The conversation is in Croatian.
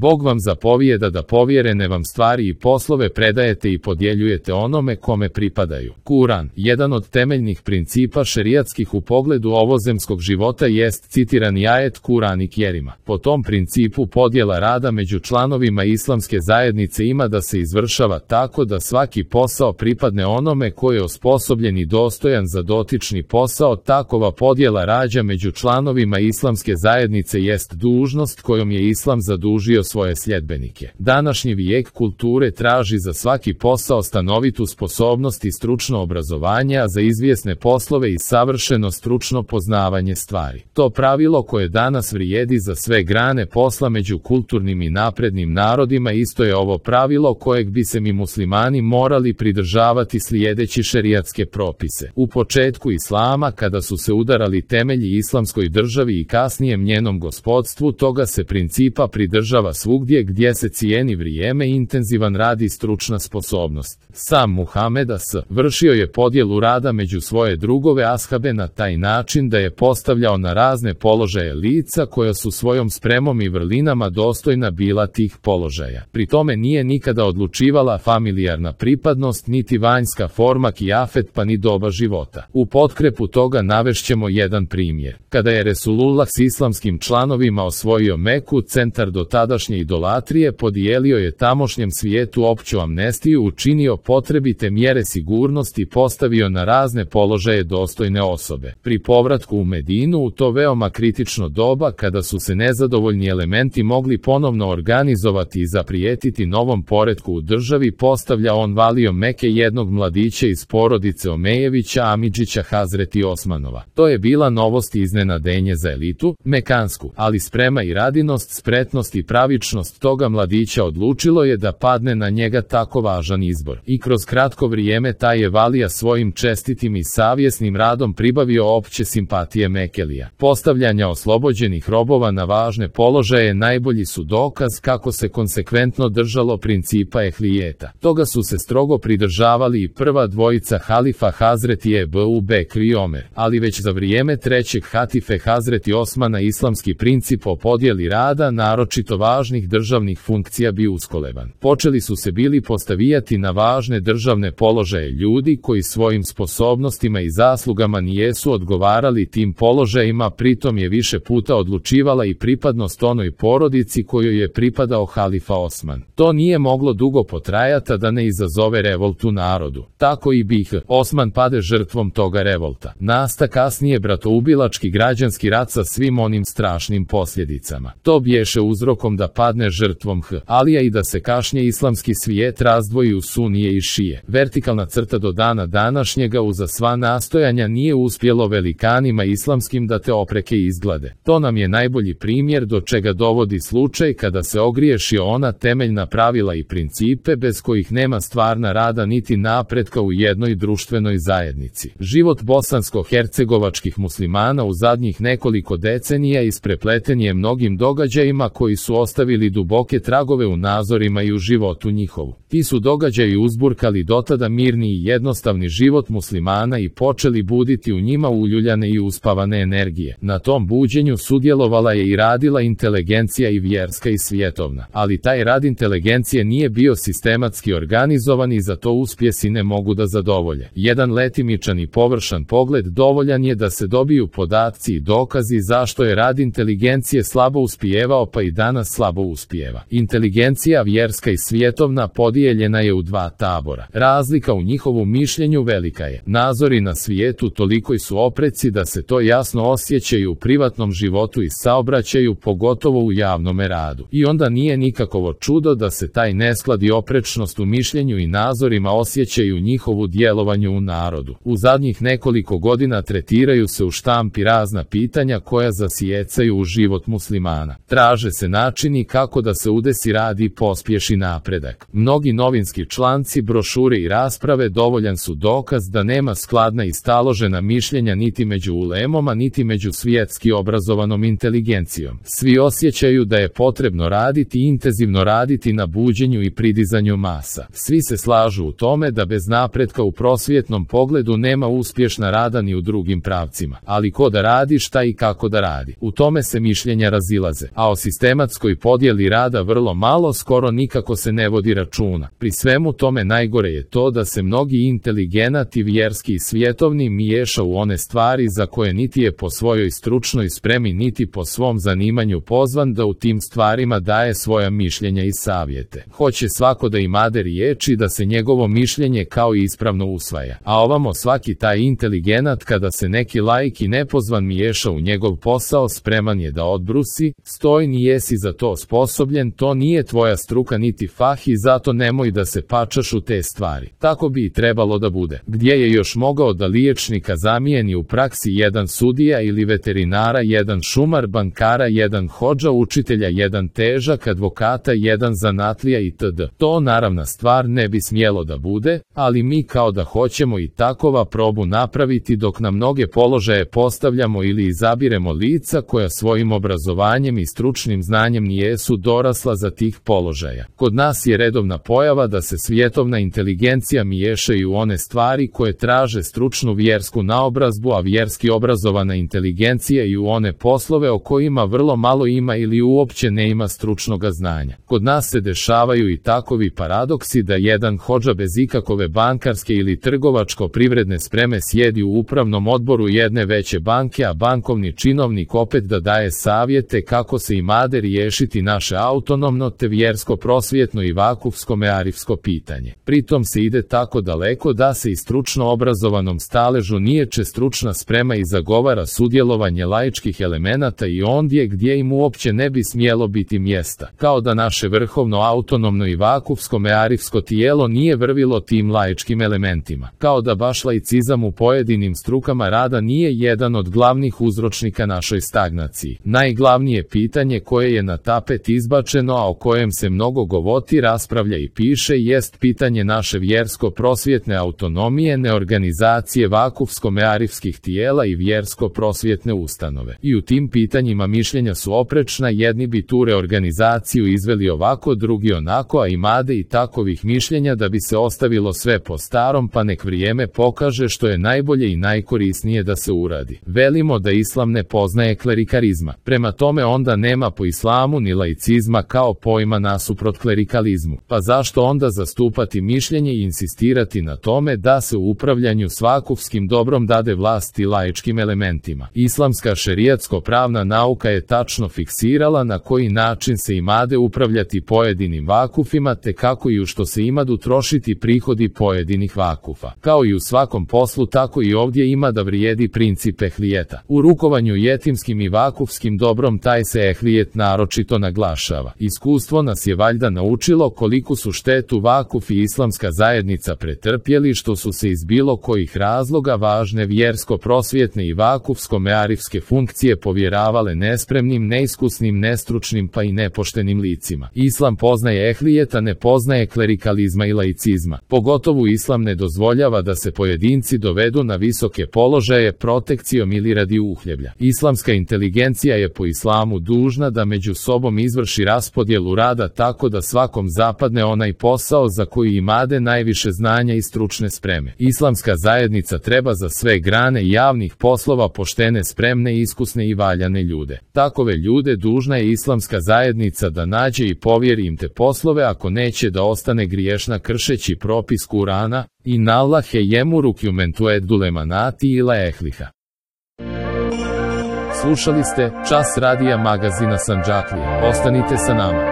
Bog vam zapovijeda da povjerene vam stvari i poslove predajete i podjeljujete onome kome pripadaju. Kuran, jedan od temeljnih principa šerijatskih u pogledu ovozemskog života jest citirani ajet Kurani Kjerima. Po tom principu podjela rada među članovima islamske zajednice ima da se izvršava tako da svaki posao pripadne onome koji je osposobljen i dostojan za dotični posao. Takova podjela rađa među članovima islamske zajednice jest dužnost kojom je islam zadužio svoje sljedbenike. Današnji vijek kulture traži za svaki posao stanovitu sposobnost i stručno obrazovanje, a za izvjesne poslove i savršeno stručno poznavanje stvari. To pravilo koje danas vrijedi za sve grane posla među kulturnim i naprednim narodima isto je ovo pravilo kojeg bi se mi muslimani morali pridržavati slijedeći šerijatske propise. U početku islama, kada su se udarali temelji islamskoj državi i kasnijem njenom gospodstvu, toga se principa pridržava svugdje gdje se cijeni vrijeme, intenzivan rad i stručna sposobnost. Sam Muhammed a.s. vršio je podjelu rada među svoje drugove ashabe na taj način da je postavljao na razne položaje lica koja su svojom spremom i vrlinama dostojna bila tih položaja. Pri tome nije nikada odlučivala familijarna pripadnost, niti vanjska forma kijafet pa ni doba života. U potkrepu toga navešćemo jedan primjer. Kada je Resulullah s islamskim članovima osvojio Meku, centar do tadašnje idolatrije, podijelio je tamošnjem svijetu opću amnestiju, učinio potrebite mjere sigurnosti i postavio na razne položaje dostojne osobe. Pri povratku u Medinu u to veoma kritično doba, kada su se nezadovoljni elementi mogli ponovno organizovati i zaprijetiti novom poretku u državi, postavlja on valio Meke jednog mladića iz porodice Omejevića Amidžića Hazreti Osmanova. To je bila novost i iznenadenje za elitu mekansku, ali sprema i radinost, spretnost i pravičnost toga mladića odlučilo je da padne na njega tako važan izbor. I kroz kratko vrijeme taj je valija svojim čestitim i savjesnim radom pribavio opće simpatije Mekelija. Postavljanja oslobođenih robova na važne položaje najbolji su dokaz kako se konsekventno držalo principa ehlijeta. Toga su se strogo pridržavali i prva dvojica halifa Hazreti Ebu Bekr i Omer, ali već za vrijeme trećeg hatife Hazreti Osmana islamski princip o podjeli rada, naročito važnih državnih funkcija, bio uskoleban. Počeli su se bili postavijati na važne državne položaje ljudi koji svojim sposobnostima i zaslugama nijesu odgovarali tim položajima, pritom je više puta odlučivala i pripadnost onoj porodici kojoj je pripadao halifa Osman. To nije moglo dugo potrajati da ne izazove revoltu narodu. Tako i bih Osman pade žrtvom toga revolta. Nasta kasnije bratoubilački građanski rat sa svim onim strašnim posljedicama. To bješe uzrokom da padne žrtvom Alija i da se kašnje islamski svijet razdvoji u sunije i šije. Vertikalna crta do dana današnjega uza sva nastojanja nije uspjelo velikanima islamskim da te opreke izglade. To nam je najbolji primjer do čega dovodi slučaj kada se ogriješi ona temeljna pravila i principe bez kojih nema stvarna rada niti napretka u jednoj društvenoj zajednici. Život bosansko-hercegovačkih muslimana u zadnjih nekoliko decenija isprepleten je mnogim događajima koji su ostavili duboke tragove u nazorima i u životu njihovu. Ti su događaji uzburkali dotada mirni i jednostavni život muslimana i počeli buditi u njima uljuljane i uspavane energije. Na tom buđenju sudjelovala je i radila inteligencija i vjerska i svjetovna, ali taj rad inteligencije nije bio sistematski organizovan i za to uspjesi ne mogu da zadovolje. Jedan letimičan i površan pogled dovoljan je da se dobiju podaci i dokazi zašto je rad inteligencije slabo uspijevao pa i danas slabo uspijeva. Inteligencija vjerska i svjetovna podijeljena je u dva tabora. Razlika u njihovom mišljenju velika je. Nazori na svijetu toliko su opreci da se to jasno osjećaju u privatnom životu i saobraćaju, pogotovo u javnome radu. I onda nije nikakovo čudo da se taj nesklad i oprečnost u mišljenju i nazorima osjećaju u njihovu djelovanju u narodu. U zadnjih nekoliko godina tretiraju se u štampi razna pitanja koja zasijecaju u život muslimana. Traže se načini kako da se udesi rad i pospješi napredak. Mnogi novinski članci, brošure i rasprave dovoljan su dokaz da nema skladna i staložena mišljenja niti među ulemom, niti među svjetski obrazovanom inteligencijom. Svi osjećaju da je potrebno raditi i intenzivno raditi na buđenju i pridizanju masa. Svi se slažu u tome da bez napretka u prosvjetnom pogledu nema uspješna rada ni u drugim pravcima. Ali ko da radi, šta i kako da radi? U tome se mišljenja razilaze. A o sistematskoj podjeli rada vrlo malo, skoro nikako se ne vodi računa. Pri svemu tome najgore je to da se mnogi inteligenati vjerski i svjetovni miješa u one stvari za koje niti je po svojoj stručnoj spremi niti po svom zanimanju pozvan da u tim stvarima daje svoja mišljenja i savjete. Hoće svako da imade riječi da se njegovo mišljenje kao ispravno usvaja. A ovamo svaki taj inteligenat kada se neki laik i nepozvan miješa u njegov posao spreman je da odbrusi: stoj, nijesi za to sposobljen, to nije tvoja struka niti fah i zato nemoj da se pačaš u te stvari. Tako bi i trebalo da bude. Gdje je još mogao da liječnika zamijeni u praksi jedan sudija ili veterinara, jedan šumar, bankara, jedan hodža, učitelja, jedan težak, advokata, jedan zanatlija itd. To naravna stvar ne bi smjelo da bude, ali mi kao da hoćemo i takova probu napraviti dok na mnoge položaje postavljamo ili izabiremo lica koja svojim obrazovanjem i stručnim znanjem nijesu dorasla za tih položaja. Kod nas je redovna pojava da se svjetovna inteligencija miješaju u one stvari koje traže stručnu vjersku naobrazbu, a vjerski obrazovana inteligencija i u one poslove o kojima vrlo malo ima ili uopće ne ima stručnoga znanja. Kod nas se dešavaju i takovi paradoksi da jedan hodža bez ikakove bankarske ili trgovačko-privredne spreme sjedi u upravnom odboru jedne veće banke, a bankovni činovnik opet da daje savjete kako se imade riješiti naše autonomno te vjersko prosvjetno i vakufsko mearifsko pitanje. Pritom se ide tako daleko da se i stručno obrazovanom staležu niječe stručna sprema i zagovara sudjelovanje laičkih elemenata i ondje gdje im uopće ne bi smjelo biti mjesta. Kao da naše vrhovno autonomno i vakufsko mearifsko tijelo nije vrvilo tim laičkim elementima. Kao da baš laicizam u pojedinim strukama rada nije jedan od glavnih uzročnika našoj stagnaciji. Najglavnije pitanje koje je na tapet izbačeno, a o kojem se mnogo govori, raspravlja i piše, jest pitanje naše vjersko-prosvjetne autonomije, neorganizacije vakufsko-mearifskih tijela i vjersko-prosvjetne ustanove. I u tim pitanjima mišljenja su oprečna, jedni bi tu reorganizaciju izveli ovako, drugi onako, a imade i takovih mišljenja da bi se ostavilo sve po starom, pa nek vrijeme pokaže što je najbolje i najkorisnije da se uradi. Velimo da islam ne poznaje klerikarizma. Prema tome onda nema po islamu ni laicizma kao pojma nasuprot klerikalizmu. Pa zašto onda zastupati mišljenje i insistirati na tome da se u upravljanju s vakufskim dobrom dade vlasti laičkim elementima? Islamska šerijatsko-pravna nauka je tačno fiksirala na koji način se imade upravljati pojedinim vakufima te kako i u što se imadu trošiti prihodi pojedinih vakufa. Kao i u svakom poslu, tako i ovdje ima da vrijedi princip ehlijeta. U rukovanju jetimskim i vakufskim dobrom taj se ehlijet naročito naglašava. Iskustvo nas je valjda naučilo koliku su štetu vakuf i islamska zajednica pretrpjeli što su se iz bilo kojih razloga važne vjersko-prosvjetne i vakufsko-mearifske funkcije povjeravale nespremnim, neiskusnim, nestručnim pa i nepoštenim licima. Islam poznaje ehlijeta, ne poznaje klerikalizma i laicizma. Pogotovo islam ne dozvoljava da se pojedinci dovedu na visoke položaje protekcijom ili radi uhljeblja. Islamska inteligencija je po islamu dužna da među sobom izvrši raspodjelu rada tako da svakom zapadne onaj posao za koji imade najviše znanja i stručne spreme. Islamska zajednica treba za sve grane javnih poslova poštene, spremne, iskusne i valjane ljude. Takove ljude dužna je islamska zajednica da nađe i povjeri im te poslove, ako neće da ostane griješna kršeći propis Kurana: Inna Allahe yemuru men tu'addu l-emanati ila ehliha. Slušali ste Čas radija magazina Sandžaklija. Ostanite sa nama.